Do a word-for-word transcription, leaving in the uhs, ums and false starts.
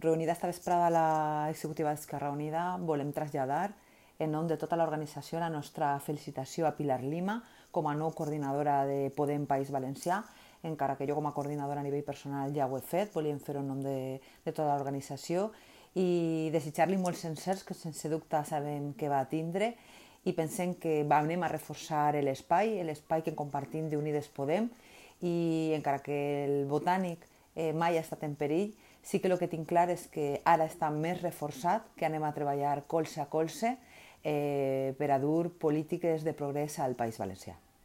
reunida esta vesprada a la executiva d'Esquerra Unida, volem traslladar en nom de tota l'organització la nostra felicitació a Pilar Lima com a nou coordinadora de Podem País Valencià, encara que jo com a coordinadora a nivell personal ja ho he fet, volíem fer-ho en nom de, de tota l'organització i desitjar-li molts encerts que sense dubte sabem que va tindre i pensem que anem a reforçar l'espai, l'espai que compartim d'Unides Podem i encara que el Botànic eh, mai ha estat en perill, sí que el que tinc clar és que ara està més reforçat, que anem a treballar colze a colze eh, per a dur polítiques de progrés al País Valencià.